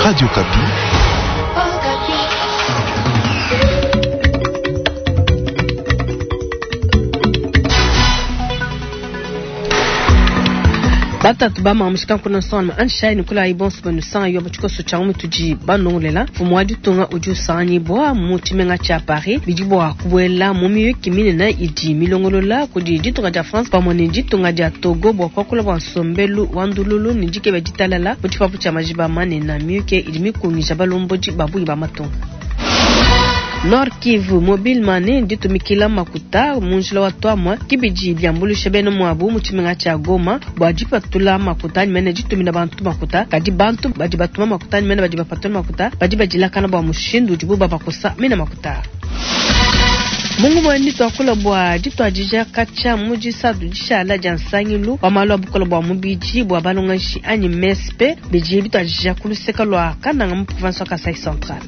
Radio Okapi. Batatu ba mamushika nkuna nsonga anshai kula ibonso banu yo mutshikoso tshia mutudi banongolela mfumu wa ditunga udi usanganyibwa mu tshimenga tshia Paris bidi bua kubuela mu miyuki minene idi milongolola kudi ditunga dia France pamue ne ditunga dia Togo bua kuakula bua nsombelu wa ndululu ne dikeba ditalala mu tshipapu tshia majiba manene. Miyuki idi mikungija balombodi ba bungi ba matunga. Nord Kivu mobile money ditumikila makuta mu njila wa twamwa kibidi byambulusha bena mwabu mu tshimenga tshia Goma bua dipatula makuta anyi mene ditumina bantu makuta kadi bantu badi batuma makuta anyi mene badi bapatula makuta badi badilakana bua mushindu udibu babakosa mena makuta. Mungu mwani twakula bua dituadija katshia mu disadu dishala dia nsangilu wa malu a bukola bua mubidi bua balongeshi anyi MESP bidi bituadija ku luseke lua Kananga mu province wa Kasai Central.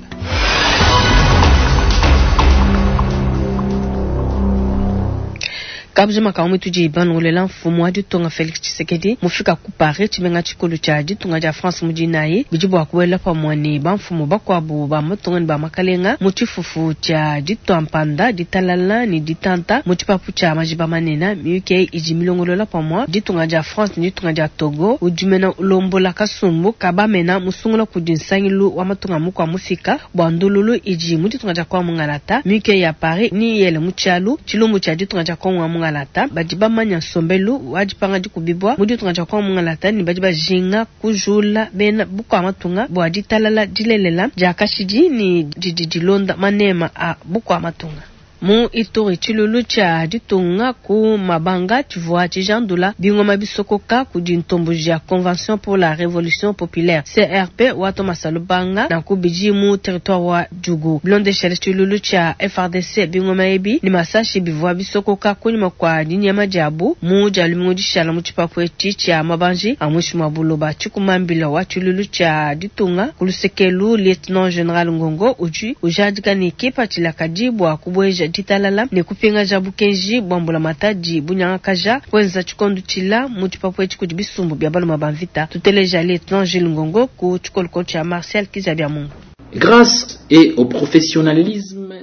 Kabujima ka mutudi banongolela mfumu wa ditunga Felix Tshisekedi mufika ku Paris tshimenga tshikulu tshia ditunga dia France mu dinayi bidi bua kubuela pamue ne bamfumu bakuabu ba matunga ne ba makalenga mu tshifufu tshia ditua mpanda ditalala ne ditanta mu tshipapu tshia majiba manene. Miyuki idi milongolola pamue ditunga dia France ne ditunga dia Togo udi mena ulombola kasumbu kabamena musungula kudi nsangilu wa matunga mukua mufika bua ndululu idi mu ditunga dia Kongo mungalata. Miyuki ya Paris ni yele mu tshialu tshilumbu tshia ditunga dia Kongo mungalata badi bamanya nsombelu wa dipanga dikubibwa mu ditunga dia Kongo mungalata ne badi bajinga kujula bena bukua matunga bua ditalala dilelela dia kashidi ne didi dilonda manema a bukua matunga. Mu Ituri tshilulu tshia ditunga ku mabanga tshivua tshijandula bingoma bisokoka kudi ntomboji ya Convention pour la Révolution Populaire CRP wa Thomas Lubanga na kubidi mu territoire wa Djugu. Bilondeshele tshilulu tshia FARDC bingoma ebi ni masashi bivua bisokoka kunyima kwa dinyama diabu mu dia lumingu dishala mu tshipapu etshi tshia mabanji a muinshi mua buloba. Tshikumambila wa tshilulu tshia ditunga ku lusekelu Lieutenant General Ngongo udi ujadika ne kipatshila kadi bua kubueja ditalala ne kupingaja bukenji bua mbulamatadi bunyangakaja kwenza tshikondo tshila mu tshipapu etshi kudi bisumbu bia baluma ba mvita. Tuteleja Lieutenant Jules Ngongo ku tshikolokolo tshia Martial Kizabia Mungu. Grâce et au professionnalisme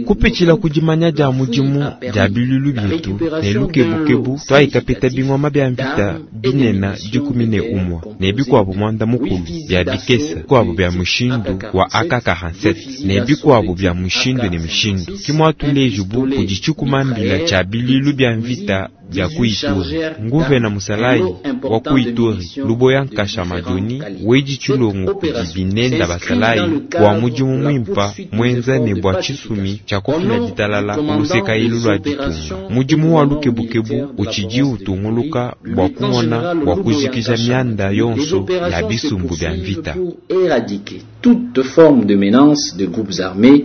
kupitshila ku dimanya dia mudimu dia bilulu bietu ne lukebukebu twayikapeta bingoma bia mvita binena 11 ne bikuabu mwanda mukulu bia bikesa bikuabu bia mushindu wa AK-47 ne bikuabu bia mushindu ne mishindu kimwatuleju bu kudi tshikumambila tshia bilulu bia mvita bia ku Ituri. Nguvena musalayi wa ku Ituri Luboya Nkasha Madoni wedi tshilongo kudi binenda basalayi bua mudimu mwimpa mwenza ne bua tshisumi tshia kufila ditalala ku luseka ilu lua ditunga. Mudimu wa lukebukebu utshidi utunguluka bua kumona bua kujikija mianda yonso ya bisumbu bia mvita. Pour éradiquer toute forme de menace de groupes armés.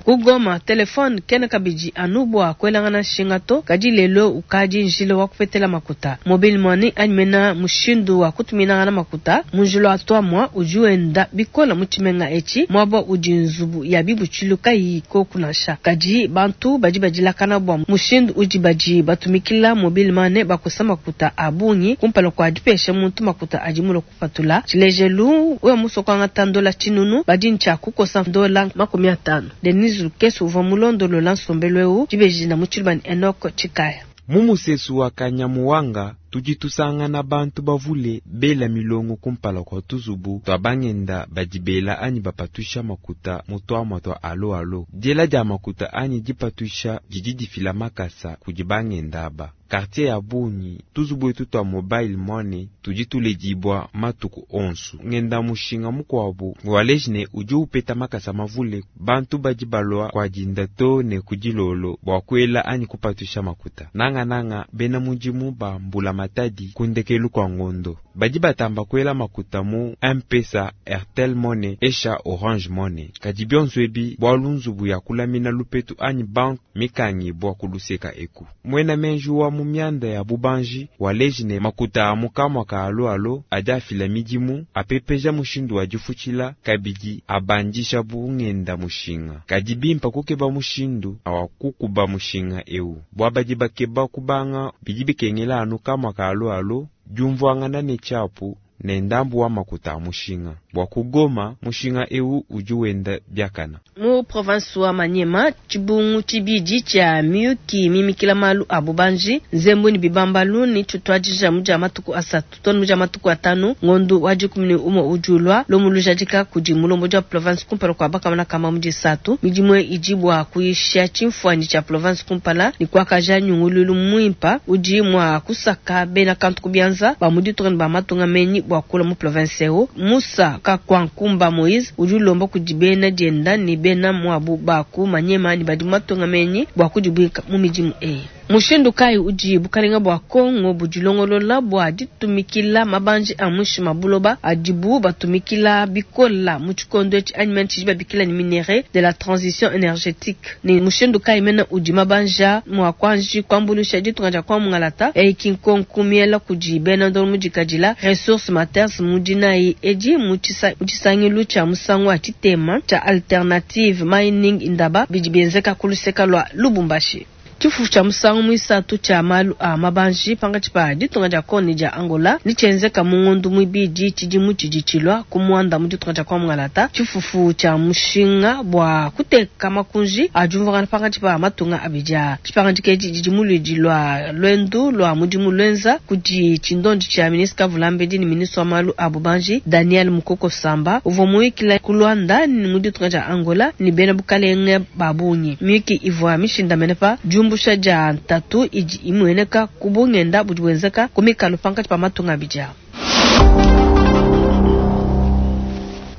Kugoma telefone kena kabidi anu bua kuelangana nshinga to kadi lelo ukadi njila wa kupetela makuta. Mobile money anyi mena mushindu wa kutuminangana makuta mu njila wa twamwa udi wenda bikola mu tshimenga etshi muaba udi nzubu ya bibutshilu kayiyi koku nansha. Kadi bantu badi badilakana bua mushindu udi badi batumikila mobile money bakosa makuta a bungi kumpala kua dipesha muntu makuta adi mulue kupatula. Tshilejelu wewe musokanga ndola tshinunu badi ntshia kukosa ndola 50. Denise Lukeso uvua mulondolola nsombelu eu dibeji na mutshilubani Enoch Tshikaya. Mu musesu wa Kanyamuwanga tudi tusangana bantu bavule bela milongo kumpala kwa tuzubu twa bangenda badi bela anyi bapatusha makuta mu twamwa twa alo alo. Diela dia makuta anyi dipatusha didi difila makasa kudi bangenda aba. Quartier ya bungi tuzubu etu twa mobile money tudi tuledibwa matuku onsu. Ngenda mushinga mukuabu waleji ne udi upeta makasa mavule bantu badi balua kwa dinda to ne kudilolo bua kuela anyi kupatusha makuta. Nanga nanga bena mudimu ba mbula matadi kundekelu kwa ngondo badi batamba kuela makuta mu M-Pesa, Airtel Money, Esha Orange Money. Kadi bionso ebi bua nzubu ya kulamina lupetu anyi bank mikangi bua kuluseka eku. Mwena menji wa mu mianda ya bubanji waleji ne makuta a mukamwa ka alo alo adi afila midimu apepeja mushindu wa difutshila kabidi abandisha bungenda mushinga. Kadi bimpa kukeba mushindu awa kukuba mushinga eu bua badi bakeba kubanga bidi bikengela anu kamwa tshiamua ka Allo Allo, diumvuangana ne tshiapu ne ndambu wa makuta a mushinga. Bua ku Goma, mushinga eu udi wenda biakana. Mu province wa Maniema, tshibungu tshibidi tshia miyuki mimikila malu a bubanji, nzembu ne bibambalu ne tshituadija mu dia matuku asatu too ne mu dia matuku atanu ngondu wa 11 udi ulua. Lumu lujadika kudi mulombodi wa province kumpala kua bakamana kamba mu disatu. Midimu eyi idi bua kuyisha tshimfuanyi tshia province kumpala ne kuakaja nyunguluilu muimpa udi mua kusaka bena kantu ku bianza ba mu ditunga ne ba matunga menyi bua kulua mu province eu. Musa Kakwankumba Moise udi ulomba kudi bena dienda ne bena muabu ba ku Maniema ne badi mu matunga menyi bua kudibuinka mu midimu eyi. Mushindu kayi udi bukalenga bua Congo budilongolola bua ditumikila mabanji a muinshi ma buloba adibu batumikila bikola mu tshikondo etshi anyi mene tshidi babikila ne minerais de la transition energetique? Ne mushindu kayi mene udi mabanji aa mua kuanji kuambuluisha ditunga dia Congo mungalata? Eyi ki nkonku miela kudi bena ndongo mudikadila Ressources Matters mu dinayi edi mu tshisangilu tshia musangu wa tshitema tshia Alternative Mining Indaba bidi bienzeka ku luseka lua Lubumbashi. Tshifufu tshia musangu muisatu tshia malu a mabanji pankatshi pa ditunga dia Congo ne dia Angola netshienzeka mu ngondo muibidi tshidimu tshidi tshilua ku Muanda mu ditunga dia Congo Mungalata. Tshifufu tshia mushinga bua kuteka makunji a diumvuangana pankatshi pa matunga abidi aa. Dipangadika edi didi mu luidi lua luendu lua mudimu luenza kudi tshindondi tshia ministre kavulambedi ne ministre wa malu a bubanji Daniel Mukoko Samba uvua muyikila ku Luanda mu ditunga dia Angola ne bena bukalenge ba bungi. Miyuki ivua mishindamene pa diumbusha dia ntatu idi imueneka ku bungenda budi buenzeka ku mikalu pankatshi pa matunga abidi aa.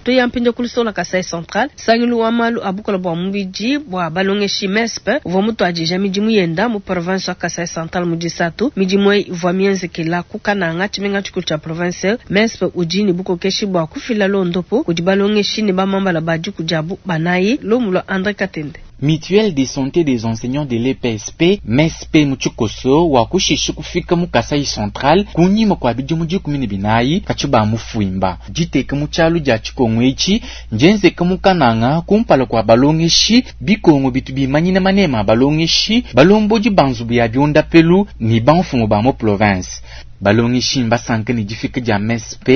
Tuya mpindieu ku luseke lua Kasai Central. Nsangilu wa malu a bukole bua mubidi bua balongeshi, MESP, uvua mutuadija midimu yenda mu province wa Kasai Central mu disatu. Midimu eyi ivua mienzekela ku Kananga, tshimenga tshikulu tshia province eu. MESP udi ne bukokeshi bua kufila luondopu kudi balongeshi ne bamambala ba diku diabu banayi. Lumu lua Andre Katende. Mutuelle de santé des enseignants de l'EPSP, MESP mu tshikoso, wakushisha kufika mu Kasaï Central kunyima kua bidimu 14 katshia bamufuimba. Diteka mu tshialu dia tshikongo etshi ndienzeka mu Kananga kumpala kua balongeshi, bikongo bitu bimanyina manema a balongeshi, balombodi ba nzubu ya biondapelu ne bamfumu ba mu province. Balongeshi mbasanka ne difika dia MESP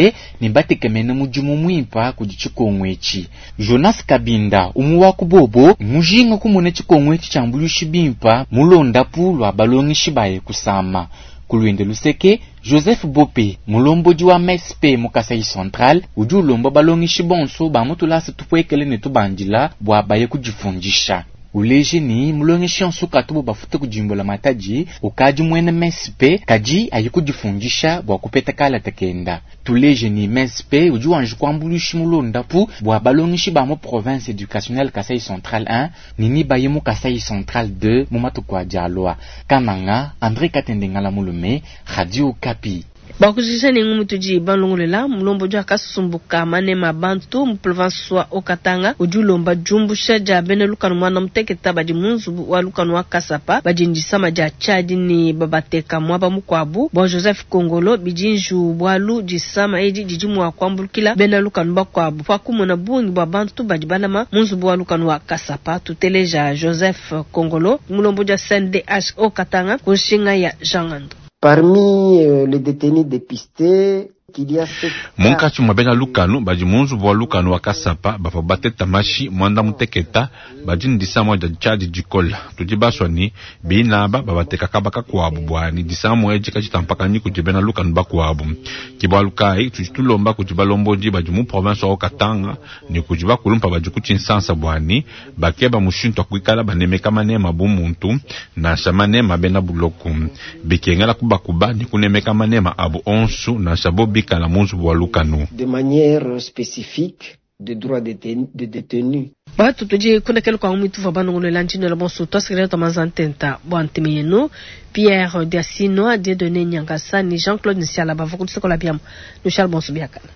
ne mbatekemene mudimu muimpa kudi tshikongo etshi. Jonas Kabinda, umue wa ku bobo, mmujinga kumona tshikongo etshi tshiambuluishi bimpa mu londapu lua balongeshi baye kusama. Ku luende luseke, Joseph Bope, mulombodi wa MESP mu Kasaï Central, udi ulomba balongeshi bonso ba mu tulasa tupuekele ne tubandila bua baye kudifundisha. Uleje ne, mulongeshi yonso ukatubu bafute kudi mbulamatadi ukadi muena MESP, kadi aye kudifundisha bua kupeta kalata kenda. Tuleje ne, MESP udi wanji kuambuluisha mu luondapu bua balongeshi ba mu Province Educationnelle Kasaï Central 1 ne nebaye mu Kasaï Central 2 mu matuku adi alua. Kananga, Andre Katende Ngala Mulume, Radio Okapi. Bua kujikija ne ngumu tudi balongolola, mulombodi wa kasumbu ka manema a bantu mu province wa Haut-Katanga udi ulomba diumbusha dia bena lukanu muanda muteketa badi mu nzubu wa lukanu wa Kasapa badi ne disama dia tshiadi ne babateka muaba mukuabu. Bua Joseph Kongolo, bidi njiwu bualu disama edi didi mua kuambulukila bena lukanu bakuabu pa kumona bungi bua bantu badi balama mu nzubu wa lukanu wa Kasapa. Tuteleja Joseph Kongolo, mulombodi wa CNDH Haut-Katanga ku nshinga ya Jean Ngandu. Parmi les detenus depistes, il y a sept Munkatshi mua bena lukanu badi mu nzubu wa lukanu wa Kasapa bavua bateta mashi muanda muteketa badi ne disama dia tshiadi dikola. Tudi basua ne bina aba babateka kaba kakuabu bua ne disama edi kaditampakanyi kudi bena lukanu bakuabu. Ke bualu kayi tudi tulomba kudi balombodi badi mu province wa Haut-Katanga ne kudi bakulumpa badi ku Tshinsansa bua ne bakeba mushintu wa kuikala banemeka manema bu muntu nansha manema bena buloku. Bikengela kubakuba ne kunemeka manema abu onsu nansha bo bikala mu nzubu wa lukanu. De manière spécifique des droits des détenus. Batu tudi kundekelu kua ngumu ituvua banongoluela ndinela bonso tuasekelela tua manza ntenta bua ntema yenu. Pierre Diasino, Dieudonné Nyangasa ne Jean-Claude Nsiala bavua ku luseke lua biamu. Nushale bonso biakana.